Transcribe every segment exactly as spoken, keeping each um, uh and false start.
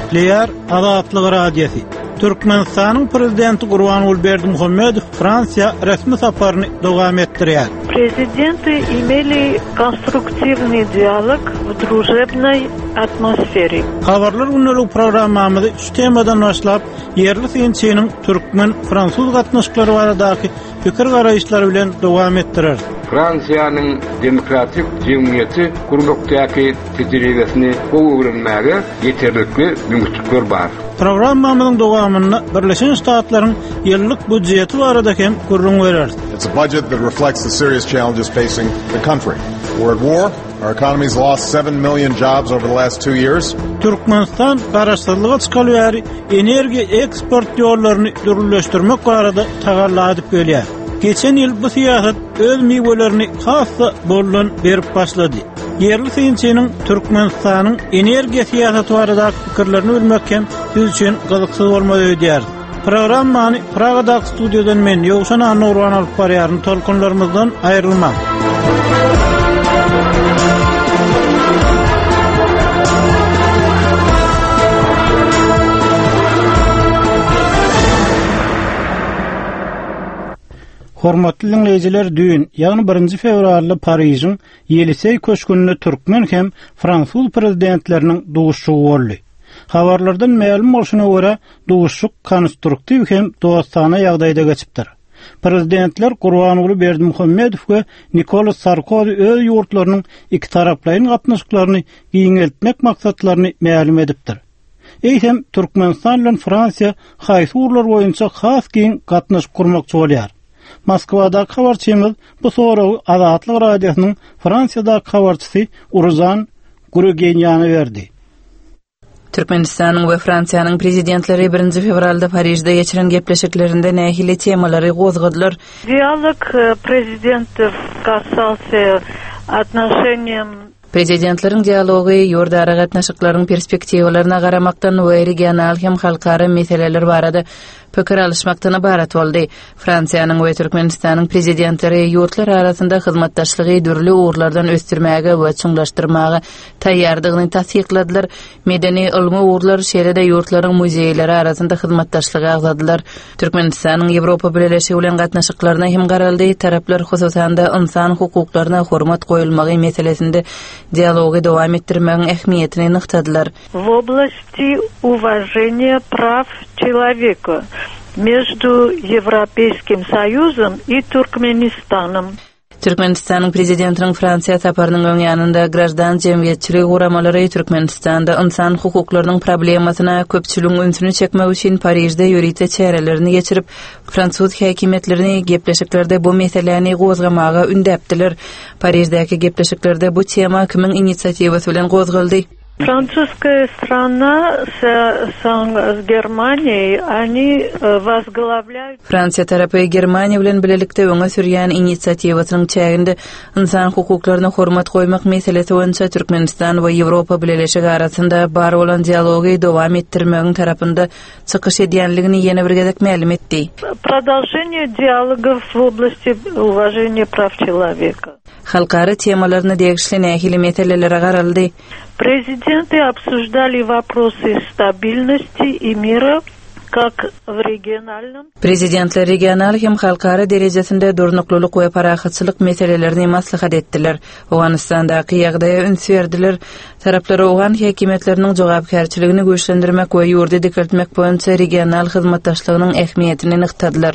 Gepleýär Azatlyk Radiosy. Türkmenistanyň Prezidenti Gurbanguly Berdimuhamedow Fransiýa resmi saparyny dowam etdirýär. Prezidenty imeli konstruktiwnyý dialog w družebnoý atmosfere. Habarlar gündelik programmamyzy şu temadan başlap, ýerli synçynyň türkmen-fransuz gatnaşyklary baradaky pikir garaýyşlary bilen dowam etdireris. Fransiýanyň demokratik jemgyýeti gurmakdaky tejribesini gowy öwrenmäge ýeterlikli mümkinçilikler bar. Programmamyzyň dowamynda Birleşen Ştatlaryň ýyllyk býujeti barada hem gürrüň bereris. It's a budget that reflects the serious challenges facing the country. We're at war. Our economy's lost seven million jobs over the last two years. Türkmenistan garaşsyzlyga çykaly bäri energiýa eksport ýollaryny dürlüleşdirmek barada tagalla edip gelýär. Geçen ýyl bu syýasat öz miwelerini has-da boldan berip başlady. Ýerli synçynyň Türkmenistanyň energiýa syýasaty baradaky pikirlerini bilmek hem siz üçin gyzyksyz bolmaly öýdýär. Programmany Pragadaky studiýadan men Ýowşan Annurwan alyp barýaryn. Tolkunlarymyzdan aýrylmaň. Hormatly dinleýjiler, düýn, ýagny birinji fewralda Parižiň Ýeliseý köşgünde türkmen hem fransuz prezidentleriniň duşuşygy boldy. Habarlardan mälim bolşuna görä, duşuşyk konstruktiw hem dostana ýagdaýda geçipdir. Prezidentler Gurbanguly Berdimuhamedow we Nikolas Sarkozy öz ýurtlarynyň iki taraplaýyn gatnaşyklaryny giňeltmek maksatlaryny mälim edipdir. Eýsem, Türkmenistan bilen Fransiýa haýsy ugurlar boýunça has giň gatnaşyk gurmakçy bolýar? Moskwadaky habarçymyz bu soragy Azatlyk Radiosynyň Fransiýadaky habarçysy Uruzan Gurgenýana berdi. Türkmenistanyň we Fransiýanyň prezidentleri birinji fewralda Parižde geçiren gepleşiklerinde nähili temalary gozgadylar? Dialog prezidentów касался отношениям Prezidentleriň dialogy ýurdara gatnaşyklaryň perspektiwalaryna garamakdan we regional hem halkara meseleler barada pikir alyşmakdan ibarat boldy. Fransiýanyň we Türkmenistanyň prezidentleri ýurtlar arasynda hyzmatdaşlygy dürli ugurlardan ösdürmäge we çuňlaşdyrmaga taýýardygyny tassykladylar. Medeni ylmy ugurlar şeýle-de ýurtlaryň muzeýleri arasynda hyzmatdaşlygy agzadylar. Türkmenistanyň Ýewropa Bileleşigi bilen gatnaşyklaryna hem garaldy. Taraplar hususan-da insan hukuklaryna hormat goýulmagy meselesinde dialogy dowam etdirmegiň ähmiýetini nygtadylar. В области уважения прав человека между Европейским Союзом и Туркменистаном. Türkmenistanyň prezidentiniň Fransiýa saparynyň öň ýanynda graždan jemgyýetçiligi guramalary Türkmenistanda insan hukuklarynyň problemasyna köpçüligiň ünsüni çekmek üçin Parižde ýörite çärelerini geçirip, fransuz häkimiýetlerini gepleşiklerde bu meseläni gozgamaga ündäpdiler. Pariždäki gepleşiklerde bu tema kimiň inisiatiwasy bilen gozgaldy? Французская страна с, с, с Германией, они возглавляют... Fransiýa tarapy Germaniýa bilen birlikde öňe sürýän inisiatiwasynyň çäginde insan hukuklaryna hormat goýmak meselesi boýunça Türkmenistan we Ýewropa Bileleşigi arasynda bar bolan dialogy dowam etdirmegiň tarapynda çykyş edýänligini ýene bir gezek mälim etdi. Продолжение диалогов в области уважения прав человека. Halkara temalaryna degişli nähili meselelere garaldy? Президенты обсуждали вопросы стабильности и мира как в региональном. Prezidentler regional hem halkara derejesinde durnuklylyk we parahatçylyk meselelerini maslahat etdiler. Owganystandaky ýagdaýa üns berdiler. Taraplar owgan häkimiýetleriniň jogapkärçiligini güýçlendirmek we ýurdy dikeltmek boýunça regional hyzmatdaşlygynyň ähmiýetini nygtadylar.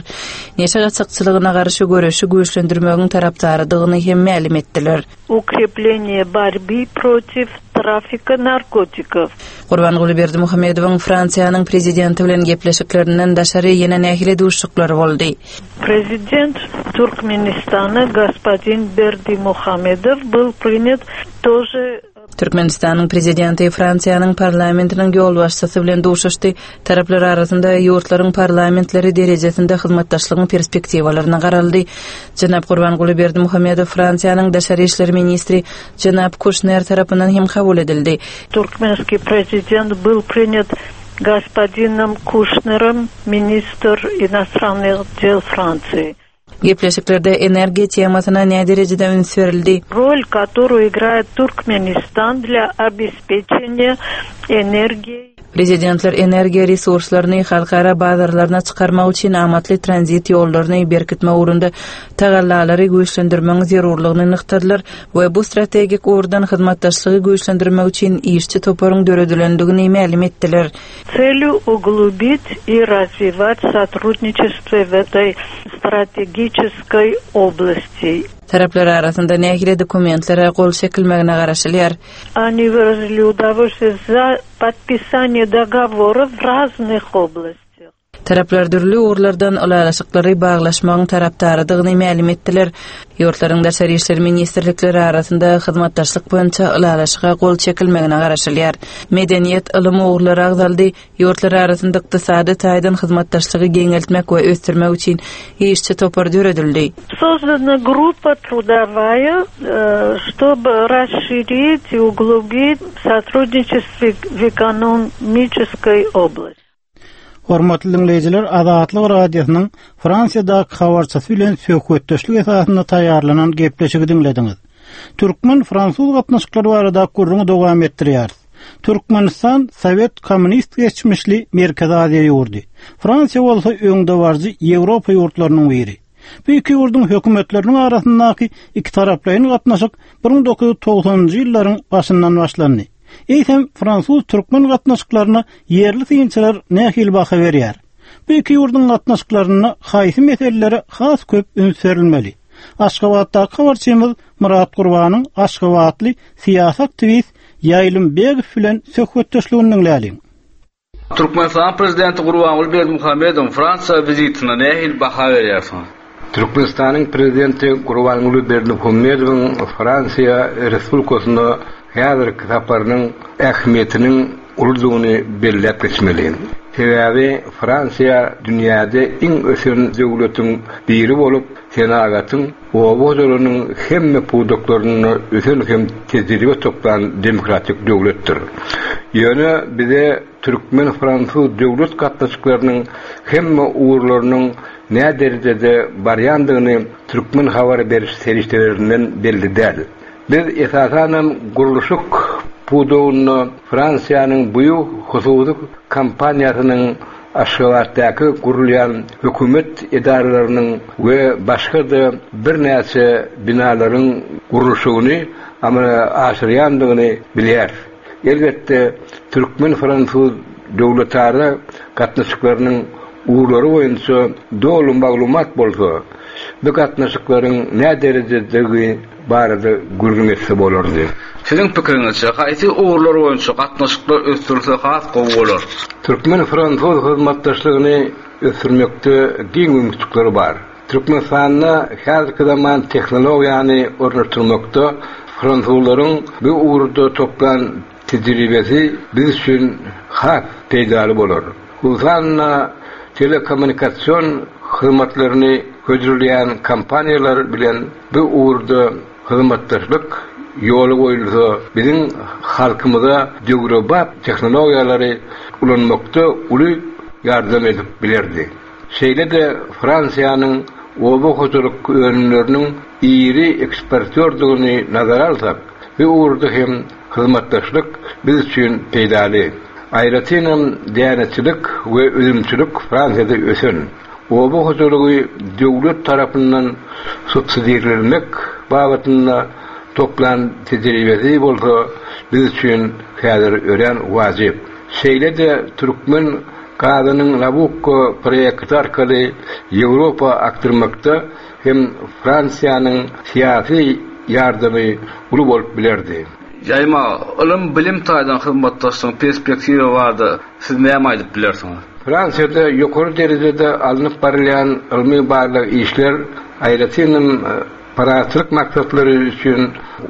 Neşe gaçakçylygyna garşy göreşi güýçlendirmegiň tarapdarydygyny hem mälim etdiler. Укрепление борьбы против трафика наркотиков. Gurbanguly Berdimuhamedowyň Fransiýanyň prezidenti bilen gepleşiklerinden daşary ýene nähili duşuşyklar boldy? Prezident Туркменистана господин Бердымухамедов был принят тоже Türkmenistanyň prezidenti Fransiýanyň parlamentiniň ýolbaşçysy bilen duşuşdy. Taraplar arasynda ýurtlaryň parlamentleri derejesinde hyzmatdaşlygyň perspektiwalaryna garaldy. Jenap Gurbanguly Berdimuhamedow Fransiýanyň daşary işler ministri Jenap Kuşner tarapyndan hem kabul edildi. Туркменский президент был принят господином Кушнером, министр иностранных дел Франции. Gepleşiklerde energiýa temasyna näme derejede üns berildi? Роль, которую играет Туркменистан для обеспечения энергией. Prezidentler energiýa resurslaryny halkara bazarlaryna çykarmak üçin amatly tranzit ýollaryny berkitmek ugrunda tagallalary güýçlendirmegiň zerurlygyny nygtadylar we bu strategik ugurdan hyzmatdaşlygy güýçlendirmek üçin işçi toparyň döredilendigini mälim etdiler. Целью углубить и развивать сотрудничество в этой стратегической области. Taraplar arasynda nähili dokumentlere gol çekilmegine garaşylýar. Они выразили удовольствие за подписание договоров в разных областях. Taraplar dürli ugurlardan ylalaşyklary baglaşmagyň tarapdarydygyny mälim etdiler. Ýurtlaryň Daşary işler ministrlikleri arasynda hyzmatdaşlyk boýunça ylalaşyga gol çekilmegine garaşylýar. Medeniýet, ylym ugurlary agzaldy. Ýurtlar arasynda ykdysady taýdan hyzmatdaşlygy giňeltmek we ösdürmek üçin işçi topar döredildi. Создана группа трудовая, э, чтобы расширить и углубить сотрудничество в экономической области. Hormatly dinleýjiler, Azatlyk Radiosynyň Fransiýadaky habarçysy bilen söhbetdeşlik esasynda taýýarlanan gepleşigi diňlediňiz. Türkmen-fransuz gatnaşyklary barada gürrüňi dowam etdirýäris. Türkmenistan Sowet kommunist geçmişli Merkezi Aziýa ýurdy. Fransiýa bolsa öňdebaryjy Ýewropa ýurtlarynyň biri. Bu iki ýurduň hökümetleriniň arasyndaky iki taraplaýyn gatnaşyk bir müň dokuz ýüz togsanynjy ýyllaryň başyndan başlandy. Eýsem fransuz-türkmen gatnaşyklaryna ýerli synçylar nähili baha berýär? Bu iki ýurduň gatnaşyklaryna haýsy meselelere has köp üns berilmeli? Aşgabatdaky habarçymyz Murat Gurbanyň Aşgabatly syýasy aktiwist Ýaýlym Begow bilen söhbetdeşligini diňläliň. Türkmenistan Prezidenti Gurbanguly Berdimuhamedowyň Fransiýa wizitine nähili baha berýärsiňiz? Türkmenistanyň Prezidenti Gurbanguly Berdimuhamedowyň Fransiýa Respublikasyna häzirki saparynyň ähmiýetiniň uludygyny belläp geçmeli. Sebäbi Fransiýa dünýäde iň ösen döwletiň biri bolup, senagatyň, oba hojalygynyň hemme pudaklarynda ösen hem tejribe toplan demokratik döwletdir. Ýöne bize türkmen-fransuz döwlet gatnaşyklarynyň hemme ugurlarynyň näme derejede barýandygyny türkmen habar beriş serişdelerinden belli däl. Biz esasanam gurluşyk pudagynda Fransiýanyň buýuk hususy kompaniýasynyň Aşgabatdaky gurulýan hökümet edaralarynyň we başga-da birnäçe binalaryň gurluşygyny amala aşyrýandygyny bilýäris. Elbetde türkmen-fransuz döwletara gatnaşyklarynyň ugurlary boýunça doly maglumat bolsa, bu gatnaşyklaryň näme derejedegi barada gürrüň etse bolardy. Siziň pikiriňizçe haýsy ugurlar boýunça gatnaşyklar ösdürilse has gowy bolar? Türkmen-fransuz hyzmatdaşlygyny ösdürmekde giň mümkinçilikler bar. Türkmenistanda häzirki zaman tehnologiýany ornaşdyrmakda fransuzlaryň bu ugurda toplan tejribesi biz üçin has peýdaly bolar. Hususan-da telekommunikasyon hyzmatlaryny hödürleýän kompaniýalar bilen bu ugurda hyzmatdaşlyk ýoly goýulsa, biziň halkymyza döwrebap tehnologiýalary ulanmakda uly ýardam edip bilerdi. Şeýle-de Fransiýanyň oba hojalyk önümleriniň iri eksportýordygyny nazara alsak, bu ugurda hem hyzmatdaşlyk biz üçin peýdaly. Aýratynam dänetçilik we üzümçilik Fransiýada ösen. Oba hojalygy döwlet tarapyndan subsidirlenmek babatynda toplan tejribesi bolsa biz üçin häzir örän wajyp. Şeýle-de türkmen gazynyň Nabucco proýekti arkaly Ýewropa akdyrmakda hem Fransiýanyň syýasy ýardamy uly bolup bilerdi. Ýaýma, ylym bilim taýdan hyzmatdaşlygyň perspektiwi bardy. Siz näme aýdyp bilersiňiz? Fransiýada ýokary derejede alnyp barylýan ylmy barlag işler aýratynam parahatçylyk maksatlary üçin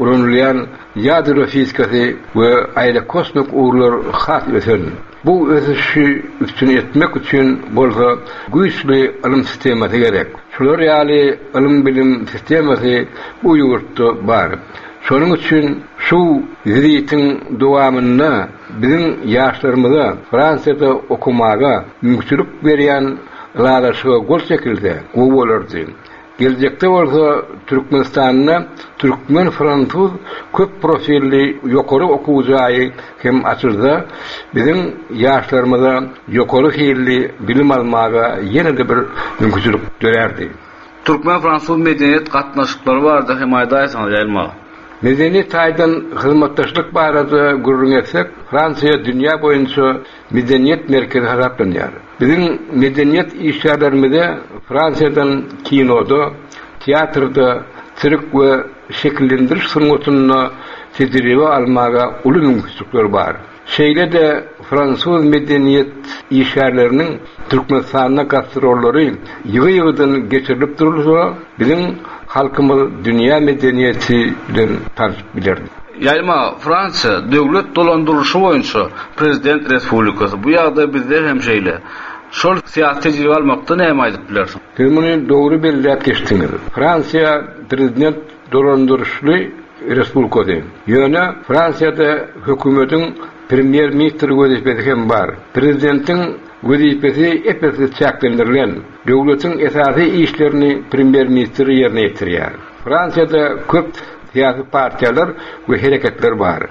ulanylýan ýadro fizikasy we aerokosmik ugurlar has ösen. Bu ösüşi üstün etmek üçin bolsa güýçli ylym sistemasy gerek. Şular ýaly ylym bilim sistemasy bu ýurtda bar. Şonuň üçin şu wizitiň dowamynda biziň ýaşlarymyza Fransiýada okumaga mümkinçilik berýän ylalaşyga gol çekilse gowy bolardy. Geljekde bolsa Türkmenistanda türkmen-fransuz köp profilli ýokary okuw jaýy hem açylsa, biziň ýaşlarymyza ýokary hilli bilim almaga ýene-de bir mümkinçilik dörärdi. Türkmen-fransuz medeniýet gatnaşyklary barada hem aýdaýsaňyz, Ýaýlym aga. Medeni taýdan hyzmatdaşlyk barada gürrüň etsek, Fransiýa dünýä boýunça medeniýet merkezi hasaplanýar. Biziň medeniýet işgärlerimize Fransiýadan kinoda, teatrda, sirk we şekillendiriş sungatynda tejribe almaga uly mümkinçilikler bar. Şeýle-de fransuz medeniýet işgärleriniň Türkmenistanda gastrollary ýygy-ýygydan geçirilip durulsa, biziň halkymyz dünýä medeniýeti bilen tanşyp biler. Ýaýlym aga, Fransiýa döwlet dolandyrylyşy boýunça prezident respublikasy. Bu ýagdaý bizde hem şeýle. Şol syýasy tejribe almakda näme aýdyp bilersiň? Siz muny dogry belläp geçdiňiz. Fransiýa prezident dolandyryşly respublikasy. Ýöne Fransiýada hökümetiň premýer-ministr wezipesi hem bar. Prezidentiň wezipesi ep-esli çäklendirilen. Döwletiň esasy işlerini premýer-ministr ýerine ýetirýär. Fransiýada köp syýasy partiýalar we hereketler bar.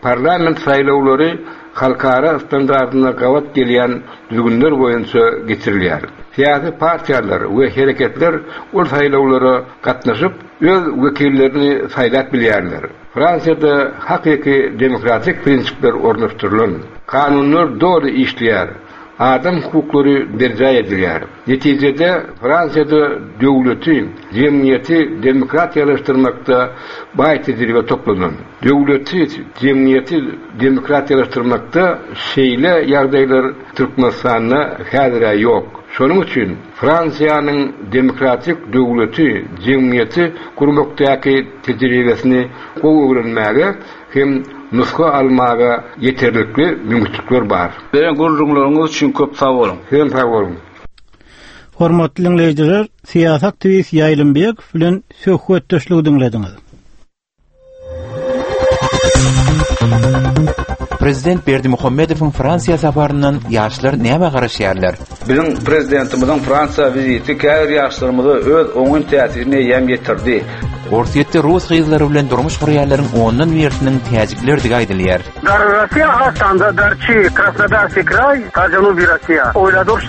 Parlament saýlawlary halkara standartyna gabat gelýän düzgünler boýunça geçirilýär. Syýasy partiýalar we hereketler ol saýlawlara gatnaşyp, öz wekillerini saýlap bilýärler. Fransiýada hakyky demokratik prinsipler ornaşdyrylan. Kanunlar doly işleýär. Adam hukuklary berjaý edilýär. Netijede Fransiýada döwleti, jemgyýeti demokratiýalaşdyrmakda baý tejribe toplanan. Döwleti, jemgyýeti demokratiýalaşdyrmakda şeýle ýagdaýlar Türkmenistanda häzir ýok. Şonuň üçin Fransiýanyň demokratik döwleti, jemgyýeti gurmakdaky tejribesini gowy öwrenmäge hem nusga almaga ýeterlikli mümkinçilikler bar. Beren gürrüňleriňiz üçin köp sag boluň. Sizem sag boluň. Hormatly dinleýjiler, syýasy aktiwist Ýaýlym Bekow bilen söhbetdeşligi diňlediňiz. Prezident Berdimuhamedowyň Fransiýa saparyndan ýaşlar näme garaşýarlar? Biziň prezidentimiziň Fransiýa wiziti käbir ýaşlarymyza öz oňyn täsirini eýýäm ýetirdi. Orsýetde rus gyzlary bilen durmuş gurýanlaryň ondan birisiniň täjiklerdigi aýdylýar. Dar Rossiýa astanda Darçi, Krasnodarskiý kraý, ta Janubi Rossiýa. Oýladyr.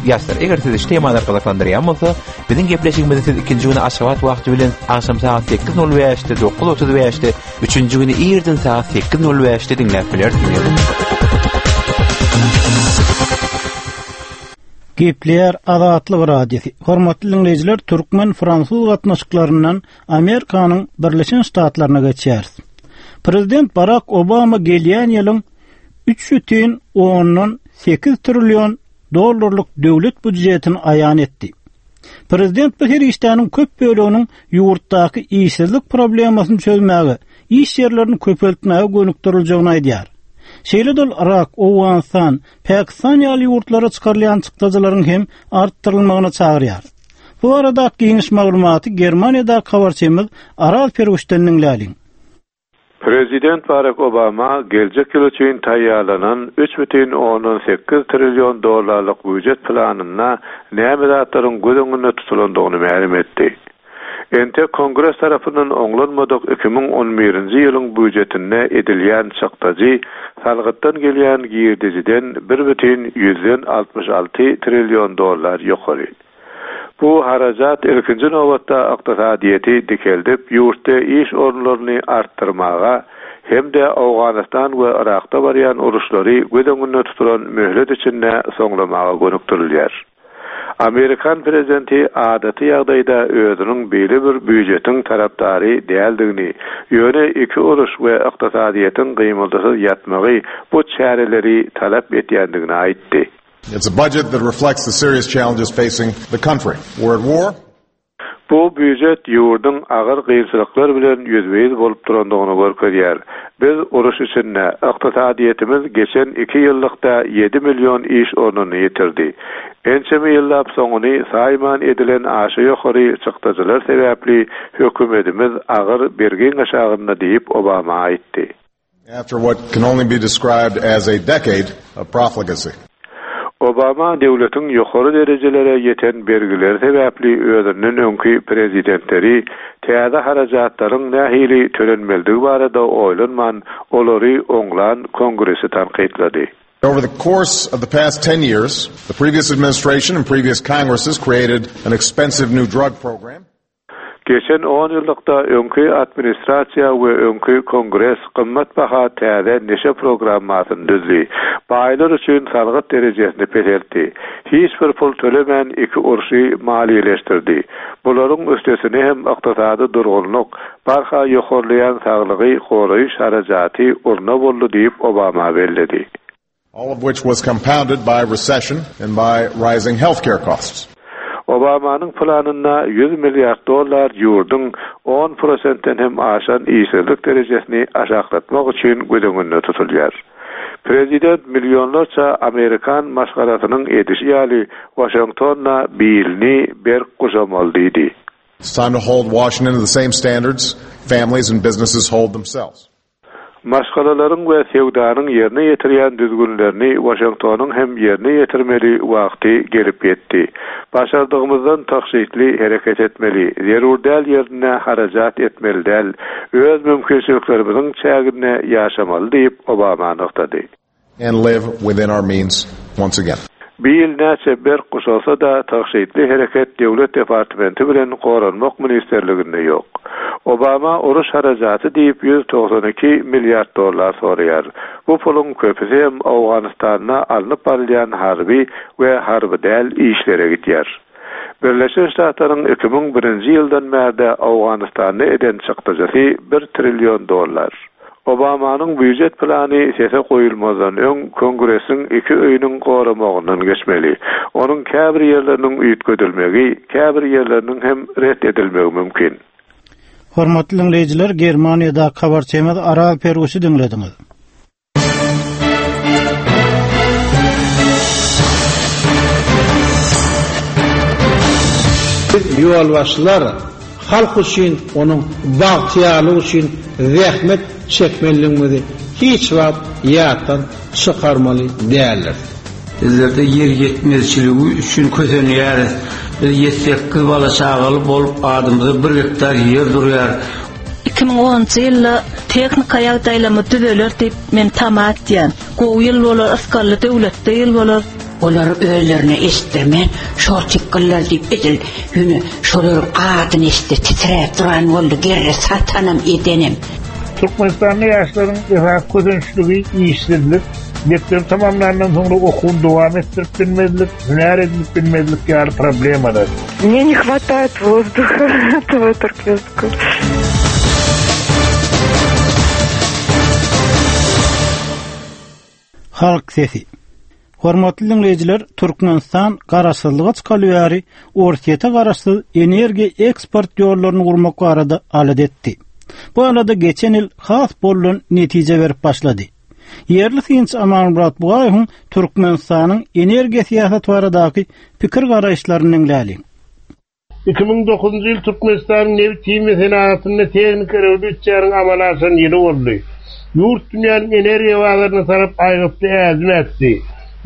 Ýaşlar, eger sizi şu temalar gyzyklandyrýan bolsa, biziň gepleşigimizi siz ikinji güni Aşgabat wagty bilen agşam sagat sekiz nol bäşde, dokuz otuz bäşde, üçünji güni irden sagat sekiz nol bäşde diňläp bilersiňiz. Gepleýär Azatlyk Radiosy. Hormatly dinleýjiler, türkmen-fransuz gatnaşyklaryndan Amerikanyň Birleşen Ştatlaryna geçýäris. Prezident Barack Obama gelýän ýylyň üç bütin ondan sekiz trillion dollarlyk döwlet býujetini aýan etdi. Prezident bu serişdäniň köp böleginiň ýurtdaky işsizlik problemasyny çözmäge, iş ýerlerini köpeltmäge gönükdiriljegini aýdýar. Şeýle-de ol Irak, Owganystan, Pakistan ýaly ýurtlara çykarylýan çykdajylaryň hem artdyrylmagyna çagyrýar. Bu arada giňiş maglumaty Germaniýada habarçymyz Aral Perwişden diňläliň. Prezident Barack Obama geljek ýyl üçin taýýarlanan üç bütin ondan sekiz trillion dollarlyk býujet planynda näme zatlaryň göz öňünde tutulandygyny mälim etdi. Entek Kongres tarapyndan oňlanmadyk iki müň on birinji ýylyň býujetinde edilýän çykdajy salgytdan gelýän girdejiden bir bütin ýüzden altmyş alty trillion dollar ýokary. Bu harajat ilkinji nobatda ykdysadyýeti dikeldip, ýurtda iş orunlaryny artdyrmaga hem-de Owganystan we Irakda barýan uruşlary göz öňünde tutulan möhlet içinde soňlamaga gönükdirilýär. Amerikan prezidenti adaty ýagdaýda özüniň beýle bir býujetiň tarapdary däldigini, ýöne iki uruş we ykdysadyýetiň gymyldysyz ýatmagy bu çäreleri talap etýändigini aýtdy. It's a budget that reflects the serious challenges facing the country. We're at war. Bu býujet ýurduň agyr kynçylyklar bilen ýüzbe-ýüz bolup durandygyny görkezýär. Biz uruş içinde ykdysadyýetimiz geçen iki ýyllykda ýedi million iş ornuny ýitirdi. Ençeme ýyllap soňuny saýman edilen aşa ýokary çykdajylar sebäpli hökümetimiz agyr bergiň aşagynda diýip Obama aýtdy. After what can only be described as a decade of profligacy. Obama döwletiň ýokary derejelere ýeten bergileri sebäpli özünden öňki prezidentleri täze harajatlaryň nähili tölenmelidigi barada oýlanman, olary oňlan kongresi tankytlady. Over the course of the past ten years, the previous administration and previous Congresses created an expensive new drug program. Geçen on ýyllykda öňki administrasiýa we öňki kongres gymmat baha täze neşe programmasyny düzdi. Baýlar üçin salgyt derejesini peseltdi. Hiç bir pul tölemän iki urşy maliýeleşdirdi. Bularyň üstesine hem ykdysady durgunlyk, barha ýokarlaýan saglygy goraýyş harajaty urna boldy diýip Obama belledi. All of which was compounded by recession and by rising healthcare costs. Obamanyň planynda ýüz milliard dollar ýurduň on prosentden hem aşan işsizlik derejesini aşaklatmak üçin göz öňünde tutulýar. Prezident milyonlarça Amerikan maşgalasynyň edişi ýaly Washingtonda bilini berk guşamaly diýdi. It's time to hold Washington to the same standards families and businesses hold themselves. Maşgalalaryň we söwdanyň ýerine ýetirýän düzgünlerini Washingtonyň hem ýerine ýetirmeli wagty gelip ýetdi. Başardygymyzdan tagşytly hereket etmeli, zerur däl ýerine harajat etmeli däl, öz mümkinçiliklerimiziň çäginde ýaşamaly diýip Obama nygtady. And live within our means once again. Bil näçe berk guşalsa da tagşytly hereket Döwlet departamenti bilen goranmak ministerliginde ýok. Obama uruş harajaty diýip ýüz togsan iki milliard dollar soraýar. Bu puluň köpüsi hem Owganystanda alnyp barylýan harby we harby däl işlere gitýär. Birleşen Ştatlaryň iki müň birinji ýyldan bärde Owganystanda eden çykdajysy bir trillion dollar. Obamanyň býujet plany sese goýulmazdan öň Kongresiň iki öýüniň goramagyndan geçmeli. Onuň käbir ýerleriniň üýtgedilmegi, käbir ýerleriniň hem ret edilmegi mümkin. Hormatly dinleýjiler, Germaniýada habarçymyz Aral Perguşy diňlediňiz. Biz ýolbaşçylar halk üçin, onuň bagtyýarlygy üçin zähmet çekmeliligimizi hiç wagt ýatdan çykarmaly däldir. Bizlerde ýer ýetmezçiligi üçin kösenýäris. Biz ýedi sekiz bala çagaly bolup adymyza bir gektar ýer durýar. Iki müň onunjy ýylda tehnika ýagdaýlamy düzeler diýip men tama etýän. Gowy ýyl bolar, ysgally döwletde ýyl bolar. Olar özlerine eşitdirmän, şol tikgiller diýip edil, ýöne şolaryň adyny eşitdi, titräp duran boldy, gerre satanam edenem. Türkmenistanly ýaşlaryň esasy kösençligi işsizlik, mekdep tamamlandan soňra okuwyny dowam etdirip bilmezlik, hünär edinip bilmezlik ýaly problemalar. Мне не хватает воздуха этого туркменского. Halk sesi. Hormatly dinleýjiler, Türkmenistan garaşsyzlyga çykaly bäri Orsýete garaşsyz energiýa eksport ýollaryny gurmak barada alada etdi. Bu alada geçen ýyl has bollan netije berip başlady. Ýerli synçy Amanmyrat Bugaýewiň Türkmenistanyň energiýa syýasaty baradaky pikir garaýyşlaryny diňläliň. Iki müň dokuzunjy ýyl Türkmenistanyň nebit himiýa senagatynda tehniki rewolýusiýanyň amala aşan ýyly boldy. Ýurt dünýäniň energiýa bazaryna tarap aýgytly ädim ätdi.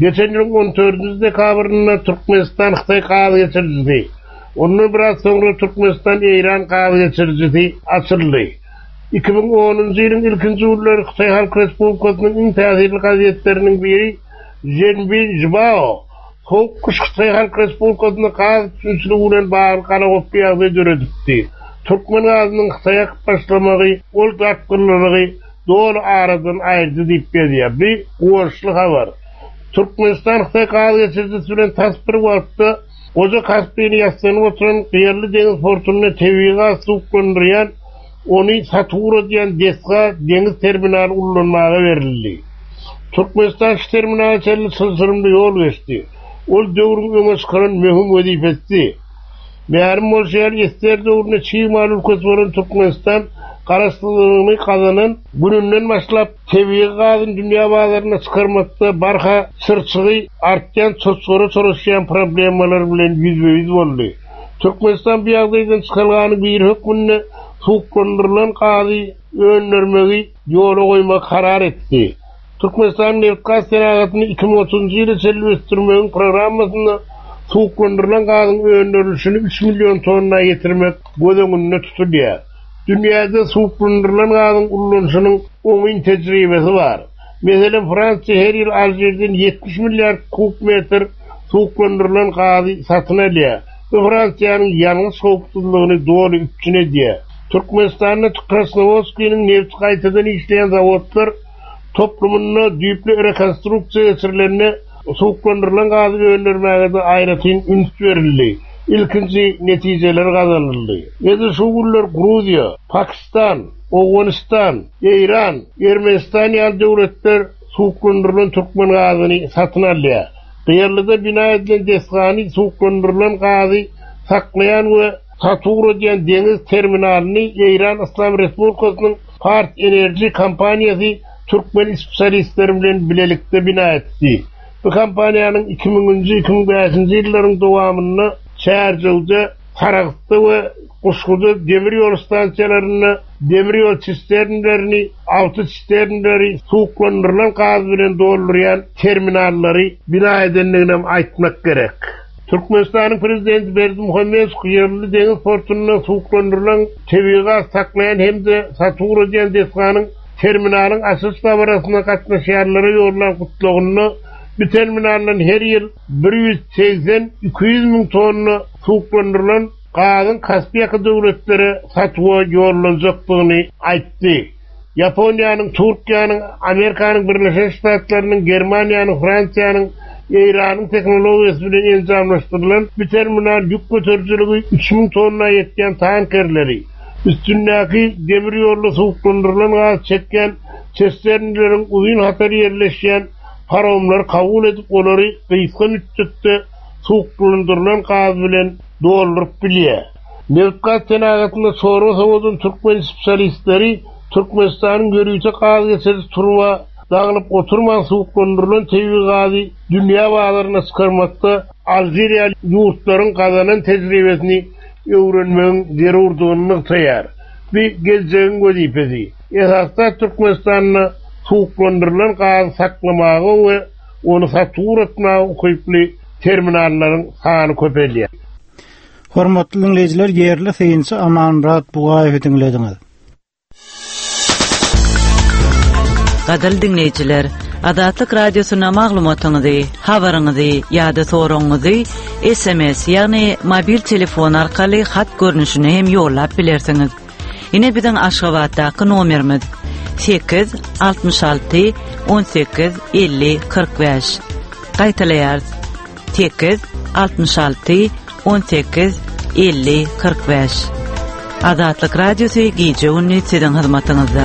Geçen ýylyň on dördünji dekabrynda Türkmenistan Hytaý gaz geçirijisi, ondan biraz soňra Türkmenistan Eýran gaz geçirijisi açyldy. Iki müň onunjy ýylyň ilkinji günleri Hytaý Halk Respublikasynyň iň täsirli gazetleriniň biri Zhenbin Jibao Soğuk kış Hytaý Halk Respublikasynyň gaz üpjünçiligi bilen bagly galagoply ýagdaý döredipdi. Türkmen gazynyň Hytaýa akyp başlamagy ol dartgynlylygy doly aradan aýyrdy diýip berýär. Bir guwançly habar. Türkmenistan Hytaý gaz geçirijisi bilen tas bir wagtda Goja Kaspini ýaslanyp oturan Gyýarly deňiz portunda tebigy gaz suwuklandyrýan, ony satyp diýen desga deňiz terminaly ullanmaga berildi. Türkmenistan şu terminala çenli çylşyrymly ýol geçdi. Ol döwrüň öňe çykaran möhüm wezipesi. Mälim bolşy ýaly, Ester döwründe çig mal ülkesi bolan Türkmenistan garaşsyzlygyny gazanan gününden başlap tebigy gazyny dünýä bazaryna çykarmakda barha çyrçygy artýan çoçgara çolaşýan problemalar bilen ýüzbe-ýüz boldy. Türkmenistan bu ýagdaýdan çykalgany bir hökmünde suwuklandyrylan gazy öndermegi ýola goýmak karar etdi. Türkmenistan nebit-gaz senagatyny iki müň otuzynjy ýyla çenli ösdürmegiň programmasynda suwuklandyrylan gazyň öndürilişini üç million tonna ýetirmek göz öňünde tutulýar. Dünýäde suwuklandyrylan gazyň ulanyşynyň oňyn tejribesi bar. Meselem, Fransiýa her ýyl Alžirden ýetmiş milliard kub metr suwuklandyrylan gazy satyn alýar. Bu Fransiýanyň ýangyç howpsuzlygyny doly üpjün edýär. Türkmenistanda Krasnowodskiniň nebit gaýtadan işleýän zawodlar toplumynda düýpli rekonstruksiýa geçirilende suwuklandyrylan gazy öndürmäge-de aýratyn üns berildi. Ilkinji netijeler gazanyldy. Edil şu günler Gruziýa, Pakistan, Owganystan, Eýran, Ermenistan ýaly döwletler suwuklandyrylan türkmen gazyny satyn alýar. Gyýarlyda bina edilen desgany suwuklandyrylan gazy saklaýan we satuw edýän deňiz terminalyny Eýran Yslam Respublikasynyň Pars Enerji kompaniýasy türkmen spesialistleri bilen bilelikde bina etdi. Bu kompaniýanyň iki müňünji, iki müň bäşinji ýyllaryň dowamynda Çärjewde, Saragtda we Guşguda demir ýol stansiýalarynda demir ýol sisternlerini, awtosisternleri suwuklandyrylan gaz bilen doldurýan terminallary bina edendigini hem aýtmak gerek. Türkmenistanyň prezidenti Berdimuhamedow Gyýarly deňiz portunda suwuklandyrylan tebigy gaz saklaýan hem-de satuw edýän desganyň terminalyň açyş dabarasyna gatnaşýanlara ýollan gutlagynda bu terminaldan her ýyl bir ýüz segsen iki ýüz müň tonna suwuklandyrylan gazyň Kaspiýaka döwletlere satuwa ýollanjakdygyny aýtdy. Ýaponiýanyň, Türkiýäniň, Amerikanyň Birleşen Ştatlarynyň, Germaniýanyň, Fransiýanyň, Eýranyň tehnologiýasy bilen enjamlaşdyrylan bu terminal ýük göterijiligi üç müň tonna ýetýän tankerleri, üstündäki demir ýolda suwuklandyrylan gaz çekýän sisternleriň uzyn hatar ýerleşýän paromlary kabul edip, olary gysga müddetde suwuklandyrylan gaz bilen dolduryp bilýär. Nebit-gaz senagatynda çorba sowadan türkmen spesialistleri Türkmenistanyň ýörite gaz geçiriji turba dagynyp oturman suwuklandyrylan tebigy gazy dünýä bazaryna çykarmakda Alžiriýa ýurtlaryň gazanan tejribesini öwrenmegiň zerurdygyny nygtaýar. Bu geljegiň wezipesi. Esasda Türkmenistanda suwuklandyrylan gazy saklamaga we ony satuw etmäge ukyply terminallaryň sany köpelýär. Hormatly dinleýjiler, ýerli synçy Amanmyrat Bugaýewi diňlediňiz. Gadyrly dinleýjiler, Azatlyk Radiosyna maglumatyňyzy, habaryňyzy ýa-da soragyňyzy S M S, ýagny mobil telefon arkaly hat görnüşine hem ýollap bilersiňiz. Ine biziň Aşgabatdaky nomerimiz sekiz altmyş alty on sekiz elli kyrk bäş. Gaýtalaýarys. Sekiz altmyş alty on sekiz elli kyrk bäş. Azatlyk Radiosy gije gündüz siziň hyzmatyňyzda.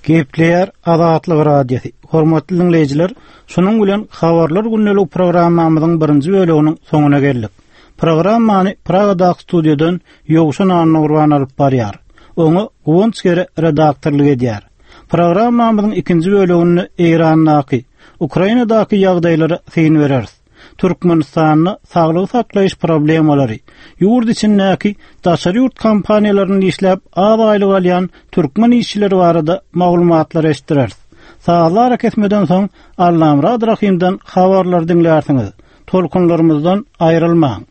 Gepleýär Azatlyk Radiosy. Hormatly dinleýjiler, şunuň bilen habarlar gündelik programmamyzyň birinji bölüminiň soňuna geldik. Programmany Pragadaky studiýadan Ýowşan Annagurban alyp barýar. Oňa Guwanç Gere redaktorlyk edýär. Programmamyzyň ikinji bölüminde Eýrandaky, Ukrainadaky ýagdaýlara syn bereris. Türkmenistanda saglygy saklaýyş problemalary, ýurt içindäki daşary ýurt kompaniýalaryny işläp az aýlyk alýan türkmen işçileri barada maglumatlar eşitdireris. Sazlar kesmeden soň Allamyrat Rahimden habarlar diňlärsiňiz. Tolkunlarymyzdan aýrylmaň.